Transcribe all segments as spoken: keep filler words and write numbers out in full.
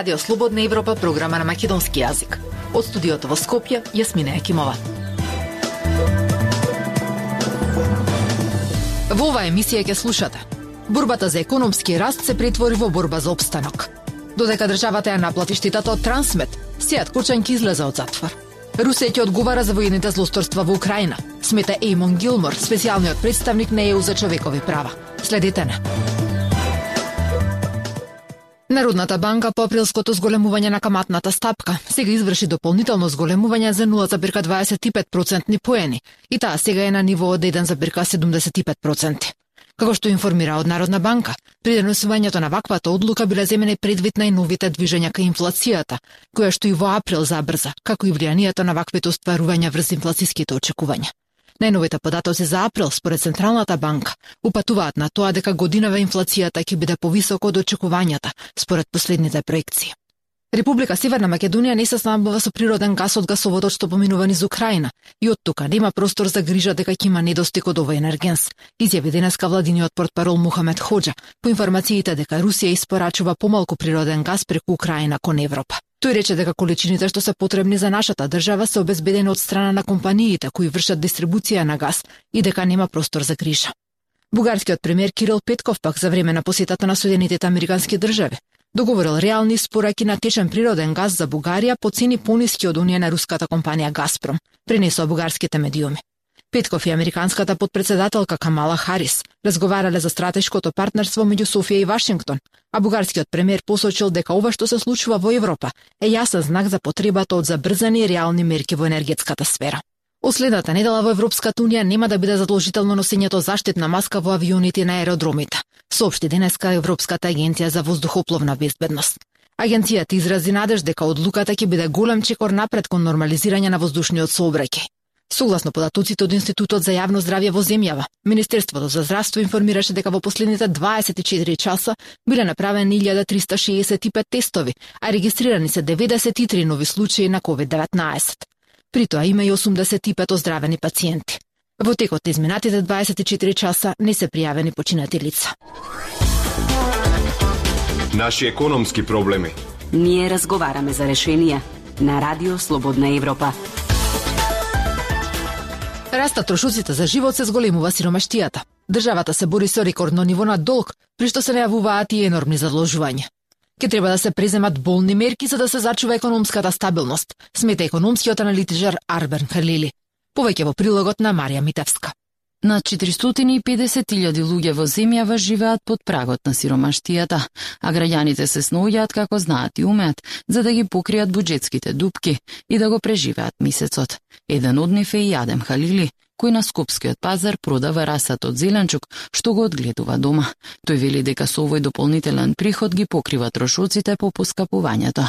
Радио Слободна Европа, програма на македонски јазик. Од студиото во Скопје, Јасмина Екимова. Во оваа емисија ќе слушате: борбата за економски раст се претвори во борба за опстанок. Додека државата ја наплати штетата од Трансмет, Сејат Кочан ќе излезе од затвор. Русија ќе одговара за воените злосторства во Украина, смета Ејмон Гилмор, специјалниот представник на Е У за човекови права. Следете не. Народната банка по априлското зголемување на каматната стапка сега изврши дополнително зголемување за нула зарез дваесет и пет процентни поени и таа сега е на ниво од еден зарез седумдесет и пет проценти. Како што информира од Народна банка, при донесувањето на ваквата одлука биле земени предвид на новите движења кај инфлацијата, која што и во април забрза, како и влијанието на ваквите остварувања врз инфлацијските очекувања. Најновите податоци за април, според Централната банка, упатуваат на тоа дека годинава инфлацијата ќе биде повисока од очекувањата, според последните проекции. Република Северна Македонија не се снабдува со природен гас од гасоводот што поминува низ Украина и од тука нема простор за грижа дека ќе има недостиг од овој енергенс, изјави денеска владиниот портпарол Мухамед Хоџа по информациите дека Русија испорачува помалку природен гас преку Украина кон Европа. Тој рече дека количините што се потребни за нашата држава се обезбедени од страна на компаниите кои вршат дистрибуција на газ и дека нема простор за грижа. Бугарскиот премиер Кирил Петков пак за време на посетата на Соединетите американски држави договорил реални спораки на течен природен газ за Бугарија по цени пониски од оние на руската компанија Газпром, пренесоа бугарските медиуми. Петков и американската подпредседателка Камала Харис разговарале за стратешкото партнерство меѓу Софија и Вашингтон, а бугарскиот премиер посочил дека ова што се случува во Европа е јасен знак за потребата од забрзани и реални мерки во енергетската сфера. Од следната недела во Европската унија нема да биде задолжително носењето заштитна маска во авионите на аеродромите, соопшти денеска Европската агенција за воздухопловна безбедност. Агенцијата изрази надеж дека одлуката ќе биде голем чекор напред кон нормализирање на воздушниот сообраќај. Согласно податоците од Институтот за јавно здравје во земјава, Министерството за здравство информираше дека во последните дваесет и четири часа биле направени илјада триста шеесет и пет тестови, а регистрирани се деветдесет и три нови случаи на ковид деветнаесет. При тоа има и осумдесет и пет оздравени пациенти. Во текот на изминатите дваесет и четири часа не се пријавени починати лица. Наши економски проблеми. Ние разговараме за решенија на Радио Слободна Европа. Растат трошоците за живот, се зголемува сиромаштијата. Државата се бори со рекордно ниво на долг, при што се најавуваат и енормни задолжувања. Ке треба да се преземат болни мерки за да се зачува економската стабилност, смета економскиот аналитичар Арбен Халили. Повеќе во прилогот на Марија Митевска. Над четиристотини и педесет илјади луѓе во земјава живеат под прагот на сиромаштијата, а граѓаните се сноѓаат како знаат и умеат за да ги покријат буџетските дупки и да го преживеат месецот. Еден од нив е и Адем Халили, кој на скопскиот пазар продава расат од зеленчук што го одгледува дома. Тој вели дека со овој дополнителен приход ги покрива трошоците по поскапувањето.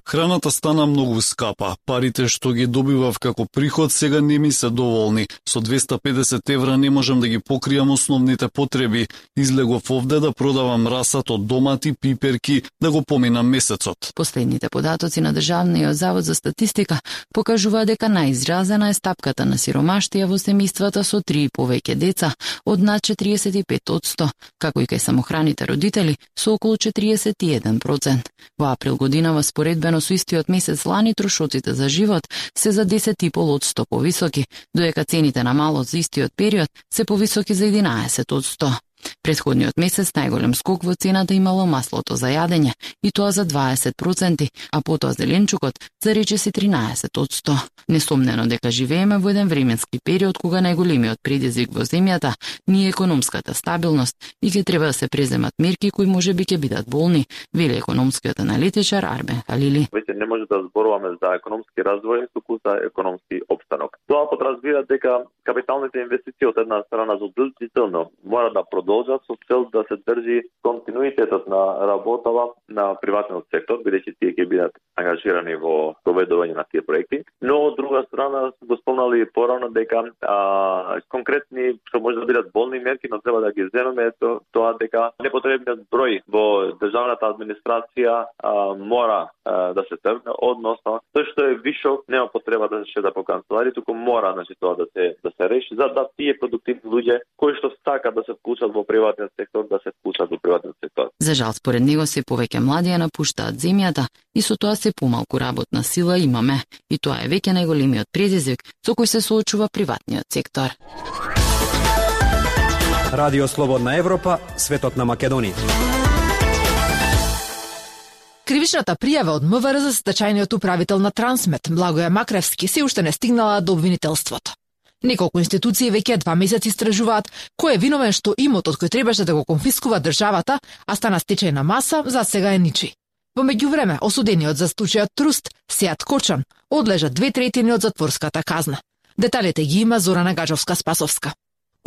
Храната стана многу скапа. Парите што ги добивав како приход сега не ми се доволни. Со двесте и педесет евра не можам да ги покријам основните потреби. Излегов овде да продавам расат од домати, пиперки, да го поминам месецот. Последните податоци на Државниот завод за статистика покажува дека најизразена е стапката на сиромаштија во семејствата со три и повеќе деца од над четириесет и пет одсто, како и кај самохраните родители со околу четириесет и еден процент. Во април годинава споредбено со истиот месец лани трошоците за живот се за десет и пет одсто повисоки, додека цените на малот за истиот период се повисоки за единаесет одсто. Претходниот месец најголем скок во цената имало маслото за јадење, и тоа за дваесет проценти, а потоа зеленчукот за речиси тринаесет одсто. Несомнено дека живееме во еден временски период кога најголемиот предизвик во земјата ни е економската стабилност и ќе треба да се преземат мерки кои можеби ќе бидат болни, вели економскиот аналитичар Арбен Халили. Веќе не може да зборуваме за економски развој, туку за економски опстанок. Тоа подразбира дека капиталните инвестиции од една страна задолжително мора да продолжат со цел да се држи континуитетот на работава на приватниот сектор, бидејќи тие ќе бидат ангажирани во проведување на тие проекти. Но од друга страна го спомнали порано дека а, конкретни што може да бидат болни мерки, но треба да ги земеме то, тоа дека непотребниот број во државната администрација а, мора а, да се тргне, односно тој што е вишок нема потреба да се шеда по канцелари, туку мора значи тоа да се да се реши за да тие продуктивни луѓе кои што сакаат да се вклучат во приватниот сектор да се вклучат во приватниот сектор. За жал според него се повеќе млади ја напуштаат земјата и со тоа се помалку работна сила имаме. И тоа е веќе најголемиот предизвик со кој се соочува приватниот сектор. Радио Слободна Европа, светот на Македонија. Кривичната пријава од МВР за стечајниот управител на Трансмет, Благоја Макревски, се уште не стигнала до обвинителството. Неколку институции веќе два месеци истражуваат кој е виновен што имотот кој требаше да го конфискува државата, а стана стечајна маса, за сега е ничи. Во меѓувреме, осудениот за случајот Труст, Сеат Кочан, одлежа две третини од затворската казна. Деталите ги има Зорана Гаджовска-Спасовска.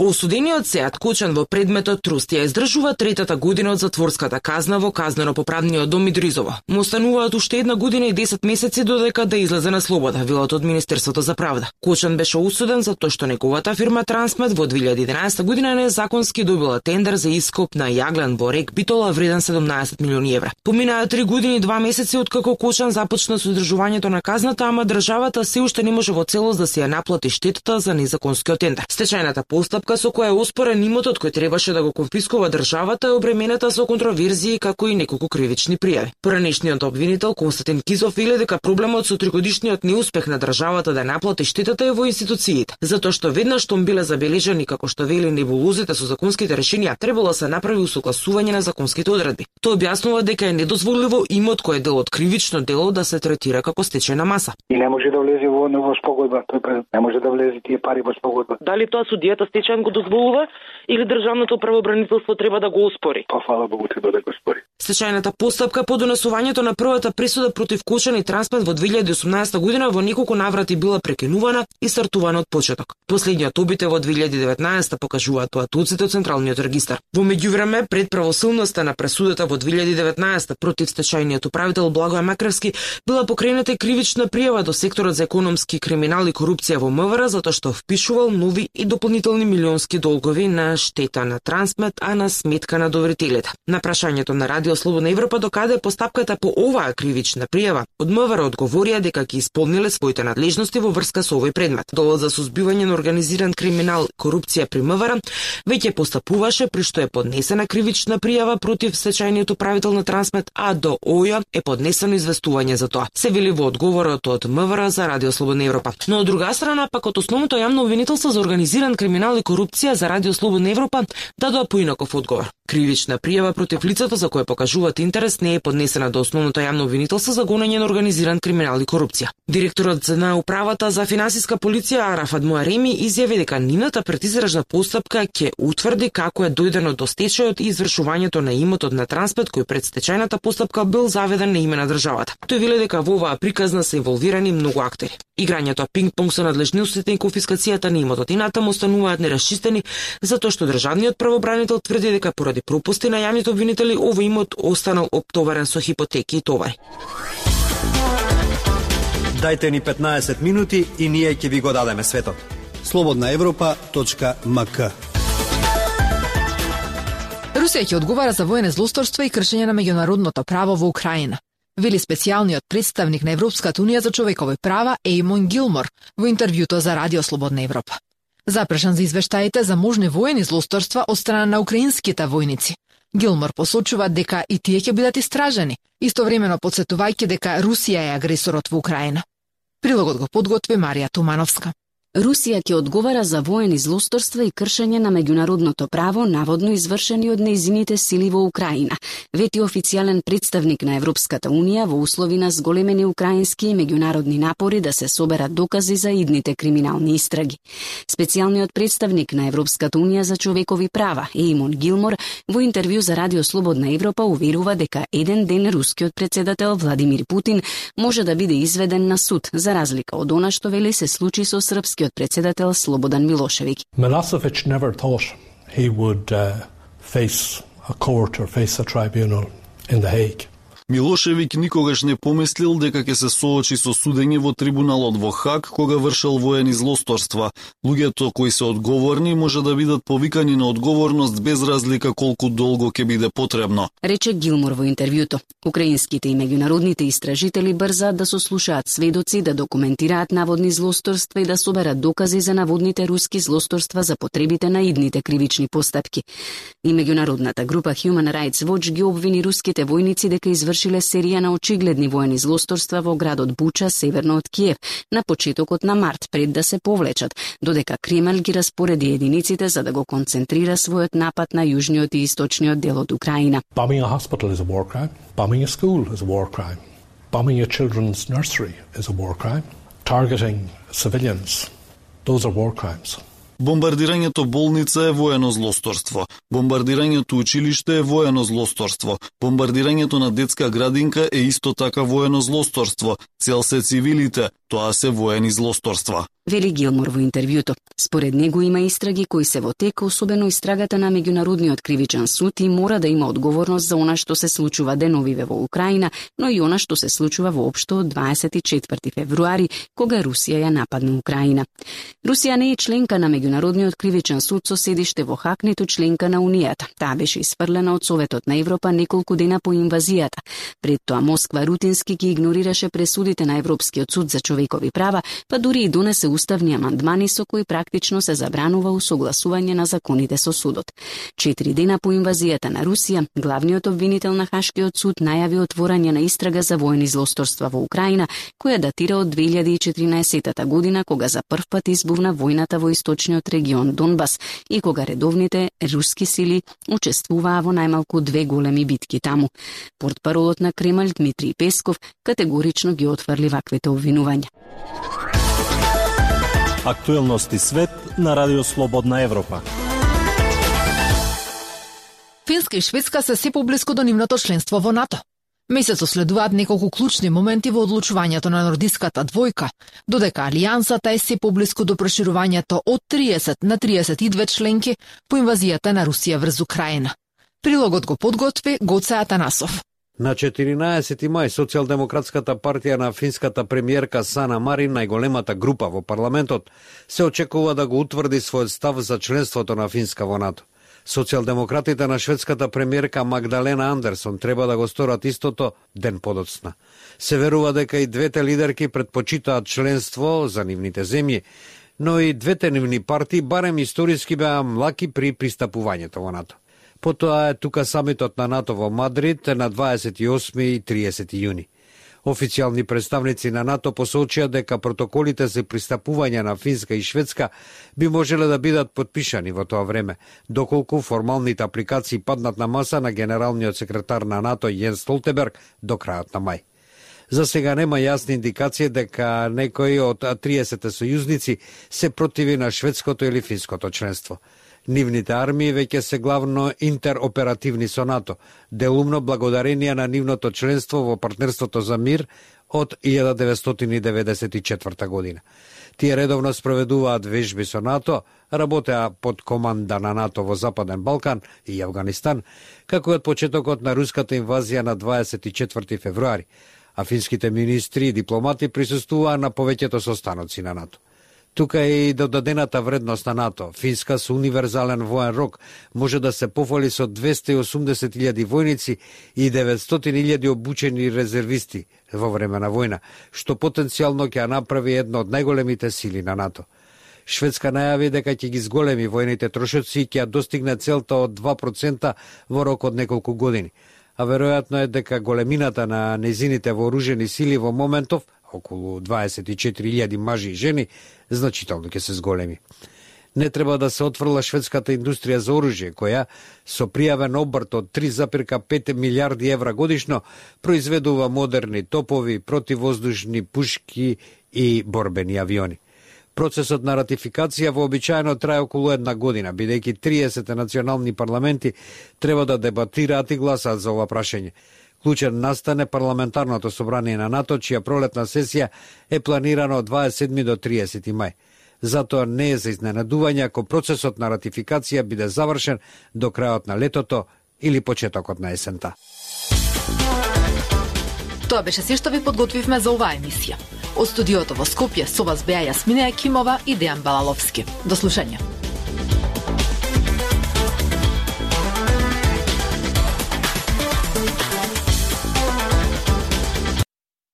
Осудениот Сеат Кочан во предметот Труст ја издржува третата година од затворската казна во казнено-поправниот дом Идризово. Му остануваат уште една година и десет месеци додека да излезе на слобода, велат од Министерството за правда. Кочан беше осуден за тоа што неговата фирма Трансмет во две илјади и единаесета година незаконски добила тендер за ископ на јаглен во рек Битола вреден седумнаесет милиони евра. Поминаа три години и два месеци откако Кочан започна со издржувањето на казната, ама државата се уште не може во целост да се ја наплати штетата за незаконскиот тендер. Стечајната постапка со која е оспорен имотот кој требаше да го конфискува државата е обременета со контроверзии како и неколку кривични пријави. Поранешниот обвинител Константин Кизов вели дека проблемот со тригодишниот неуспех на државата да наплати штетата е во институциите, затоа што веднаш штом биле забележани како што вели небулозите со законските решенија, требало да се направи усогласување на законските одредби. Тоа објаснува дека е недозволиво имот кој е дел од кривично дело да се третира како стечајна маса. И не може да влезе во во спогодба, тој не може да влезе тие пари во спогодба. Дали тоа судијата стечајн го дозволува или државното правообранителство треба да го оспори? Па фала Богу треба да го оспори. Стечајната постапка по донесувањето на првата пресуда против Кочан и Трансмет во две илјади и осумнаесета година во неколку наврати била прекинувана и стартувана од почеток. Последниот обид во две илјади и деветнаесета покажуваат поатоците од Централниот регистар. Во меѓувреме, пред правосилноста на пресудата во две илјади и деветнаесета против стечајниот управител Благоја Макревски била покрената кривична пријава до секторот за економски криминал и корупција во МВР затоа што впишувал нови и дополнителни милионски долгови на штета на Трансмет, а на сметка на доверителите. На прашањето на Радио Слободна Европа докаде постапката по оваа кривична пријава, од МВР одговорија дека ќе исполниле своите надлежности во врска со овој предмет. Делот за сузбивање на организиран криминал и корупција при МВР веќе постапуваше при што е поднесена кривична пријава против стечајниот управител на Трансмет, а до ОЈ е поднесено известување за тоа. Се вели во одговорот од МВР за Радио Слободна Европа. Но од друга страна, пак од основното јавно обвинителство за организиран криминал и корупција за Радио Слободна Европа дадоа поинаков одговор. Кривична пријава против лицето за кое покажуваат интерес не е поднесена до основното јавно обвинителство за гонење на организиран криминал и корупција. Директорот на управата за финансиска полиција Арафат Муареми изјави дека нивната предизражна постапка ќе утврди како е дојдено до стечајот и извршувањето на имотот на Трансмет кој пред стечајната постапка бил заведен на име на државата. Тој вели дека во оваа приказна се инволвирани многу актери. Играњето пинг-понг со надлежностите и конфискацијата на имотот и натаму остануваат нерасчистени затоа што државниот правобранител тврди дека поради пропусти на јавните обвинители овој имот останал оптоварен со хипотеки и товари. Дајте ни петнаесет минути и ние ќе ви го дадеме светот. слободна европа точка ем ка. Русија ќе одговара за воене злосторство и кршење на меѓународното право во Украина, вели специјалниот представник на Европската унија за човекови права Ејмон Гилмор во интервјуто за Радио Слободна Европа. Запрашан за извештаите за можни воени злосторства од страна на украинските војници, Гилмор посочува дека и тие ќе бидат истражени, истовремено подсетувајќи дека Русија е агресорот во Украина. Прилогот го подготви Марија Тумановска. Русија ќе одговара за воени злосторства и кршење на меѓународното право, наводно извршени од нејзините сили во Украина, вети официјален представник на Европската унија во услови на зголемени украински и меѓународни напори да се соберат докази за идните криминални истраги. Специјалниот представник на Европската унија за човекови права, Ејмон Гилмор, во интервју за Радио Слободна Европа уверува дека еден ден рускиот председател Владимир Путин може да биде изведен на суд, за разлика од она што вели се случи со српски председател Слободан Милошевик. Milosevic never thought he would uh, face a court or face a tribunal in The Hague. Милошевиќ никогаш не помислил дека ќе се соочи со судење во трибуналот во Хаг кога вршел воени злосторства. Луѓето кои се одговорни може да бидат повикани на одговорност без разлика колку долго ќе биде потребно, рече Гилмор во интервјуто. Украинските и меѓународните истражители брзаат да сослушаат сведоци, да документираат наводни злосторства и да соберат докази за наводните руски злосторства за потребите на идните кривични постапки. И меѓународната група Human Rights Watch ги обвини руските војници дека извршиле серија на очигледни воени злосторства во градот Буча, северно од Киев, на почетокот на март, пред да се повлечат, додека Кремљ ги распореди единиците за да го концентрира својот напад на јужниот и источниот дел од Украина. Bombing a hospital is a war crime. Bombing a school is a war crime. Bombing a children's nursery is a war crime. Targeting civilians, those are war crimes. Бомбардирањето болница е воено злосторство. Бомбардирањето училиште е воено злосторство. Бомбардирањето на детска градинка е исто така воено злосторство. Цел се цивилите, тоа се воени злосторства. Вели Гилмор во интервјуто. Според него има истраги кои се во тек, особено истрагата на Меѓународниот кривичен суд, и мора да има одговорност за она што се случува деновиве во Украина, но и она што се случува воопшто од дваесет и четврти февруари, кога Русија ја нападна Украина. Русија не е членка на Меѓународниот кривичен суд со седиште во Хаг, ниту членка на Унијата. Таа беше испрлена од Советот на Европа неколку дена по инвазијата. Пред тоа Москва рутински ги игнорираше пресудите на Европскиот суд за човекови права, па дури и донесе уставни амандмани со кои практично се забранува усогласување на законите со судот. Четири дена по инвазијата на Русија, главниот обвинител на Хашкиот суд најави отворање на истрага за воени злосторства во Украина, која датира од две илјади и четиринаесетта година, кога за прв пат избувна војната во источниот регион Донбас и кога редовните руски сили учествуваа во најмалку две големи битки таму. Портпаролот на Кремљ Дмитриј Песков категорично ги отфрли ваквите обвинувања. Актуелности свет на Радио Слободна Европа. Финска и Шведска се се поблиску до нивното членство во НАТО. Месецо следуваат неколку клучни моменти во одлучувањето на нордиската двојка, додека алијансата е се поблиску до проширувањето од триесет на триесет и две членки по инвазијата на Русија врз Украина. Прилогот го подготви Гоце Атанасов. На четиринаесети мај Социјалдемократската партија на финската премиерка Сана Марин, најголемата група во парламентот, се очекува да го утврди својот став за членството на Финска во НАТО. Социјалдемократите на шведската премиерка Магдалена Андерсон треба да го сторат истото ден подоцна. Се верува дека и двете лидерки предпочитаат членство за нивните земји, но и двете нивни партии барем историски беа млаки при пристапувањето во НАТО. Потоа е тука самитот на НАТО во Мадрид на дваесет и осми и триесети јуни. Официјални представници на НАТО посочија дека протоколите за пристапување на Финска и Шведска би можеле да бидат подпишани во тоа време, доколку формалните апликации паднат на маса на генералниот секретар на НАТО Јенс Столтенберг до крајот на мај. За сега нема јасни индикации дека некои од триесет сојузници се противи на шведското или финското членство. Нивните армии веќе се главно интероперативни со НАТО, делумно благодарение на нивното членство во партнерството за мир од илјада деветстотини деветдесет и четврта година. Тие редовно спроведуваат вежби со НАТО, работеа под команда на НАТО во Западен Балкан и Авганистан, како од почетокот на руската инвазија на дваесет и четврти февруари, а финските министри и дипломати присуствуваа на повеќето состаноци на НАТО. Тука е и додадената вредност на НАТО. Финска со универзален воен рок може да се пофали со двесте и осумдесет илјади војници и деветстотини илјади обучени резервисти во време на војна, што потенцијално ќе направи една од најголемите сили на НАТО. Шведска најави дека ќе ги зголеми војните трошоци и ќе достигне целта од два процента во рок од неколку години. А веројатно е дека големината на незините вооружени сили во моментов, околу дваесет и четири илјади мажи и жени, значително ќе се зголеми. Не треба да се отфрла шведската индустрија за оружје, која со пријавен обрт од три запирка пет милијарди евра годишно произведува модерни топови, противвоздушни пушки и борбени авиони. Процесот на ратификација вообичаено трае околу една година, бидејќи триесет национални парламенти треба да дебатираат и гласаат за ова прашање. Клучен настане парламентарното собрание на НАТО, чија пролетна сесија е планирана од дваесет и седми до триесети мај. Затоа не е за изненадување ако процесот на ратификација биде завршен до крајот на летото или почетокот на есента. Тоа беше се што ви подготвивме за оваа емисија. Од студиото во Скопје со вас беа Јасмина Екимова и Дејан Балаловски. До слушање.